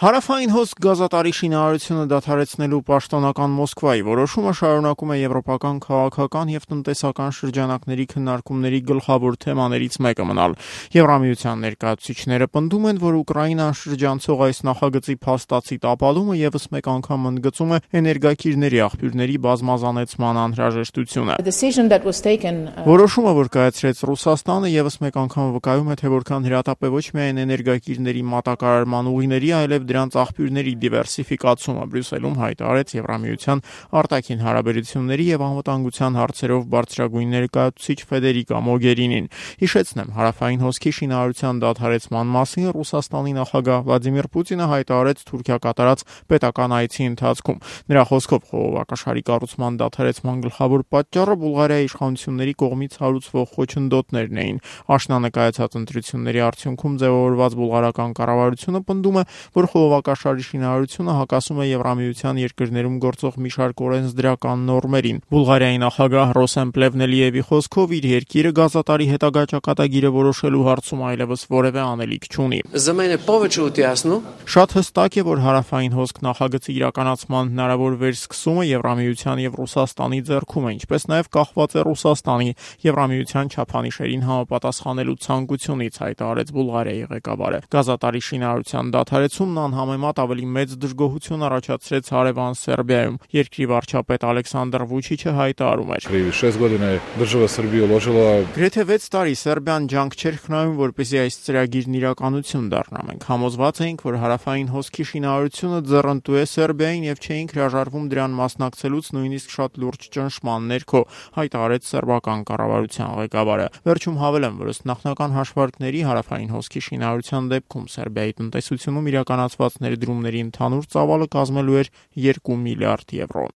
Հարավային հոսք գազատարի շինարարությունը դադարեցնելու պաշտոնական Մոսկվայի որոշումը շարունակում է եվրոպական քաղաքական եւ տնտեսական շրջանակների քննարկումների գլխավոր թեմաներից մեկը մնալ։ Եվրամիության ներկայացուցիչները պնդում են, որ Ուկրաինան շրջանցող այս նախագծի փաստացի տապալումը եւս մեկ անգամ ընդգծում է էներգակիրների աղբյուրների բազմազանեցման անհրաժեշտությունը։ Որոշումը, որ կայացրեց Ռուսաստանը, եւս մեկ անգամ վկայում է, թե որքան հրատապ է ոչ միայն էներգակիրների մատակարարման ուղիների, այլև դրանց աղբյուրների դիվերսիֆիկացումը։ Բրյուսելում հայտարարեց Եվրամիության արտաքին հարաբերությունների եւ անվտանգության հարցերով բարձրագույն ներկայացուցիչ Ֆեդերիկա Մոգերինին։ Հիշեցնեմ, հարավային հոսքի շինարարության դադարեցման մասին Ռուսաստանի նախագահ Վլադիմիր Պուտինը հայտարարեց Թուրքիա կատարած պետական այցի ընթացքում։ Նրա խոսքով խողովակաշարի կառուցման դադարեցման գլխավոր պատճառը Բուլղարիայի իշխանությունների կողմից հարուցվող խոչընդոտներն էին։ Աշնանկայացած ընտրությունների արդյունքում ձևավորված բուլղարական կառավարությունը պնդում է, որ խողովակաշարի շինարարությունը հակասում է Եվրամիության երկրներում գործող մի շարք օրենսդրական նորմերին։ Բուլղարիայի նախագահ Ռոսեն Պլևնելիևի խոսքով իր երկիրը գազատարի հետագա ճակատագիրը որոշելու հարցում այլևս որևէ անելիք չունի։ Շատ հստակ է, որ հարավային հոսք նախագծի իրականացման հնարավոր վերսկսումը Եվրամիության եւ Ռուսաստանի ձեռքում է, ինչպես նաեւ կախված է Ռուսաստանի Եվրամիության չափանիշերին համապատասխանելու ցանկությունից, հայտարարեց Բուլղարիայի ղեկավարը։ Գազատարի շինարարության դադարեցումն անհամեմատ ավելի մեծ դժգոհություն առաջացրեց հարևան Սերբիայում։ Երկրի վարչապետ Ալեքսանդր Վուչիչը հայտարարում էր. Գրեթե 6 տարի Սերբիան ջանք չէր խնայում, որպեսզի այս ծրագիրն իրականություն դառնա։ Մենք համոզված էինք, որ հարավային հոսքի շինարարությունը ձեռնտու է Սերբիային եւ չէինք հրաժարվում դրան մասնակցելուց նույնիսկ շատ լուրջ ճնշման ներքո, հայտարարեց սերբական կառավարության ղեկավարը։ Վերջում հավելեմ, որ ըստ նախնական հաշվարկների հարավային հոսքի շինարարության դեպքում Սերբիայի տնտեսությունում իրականացված ներդրումների ընդհանուր ծավալը կազմելու էր 2 միլիարդ եվրո։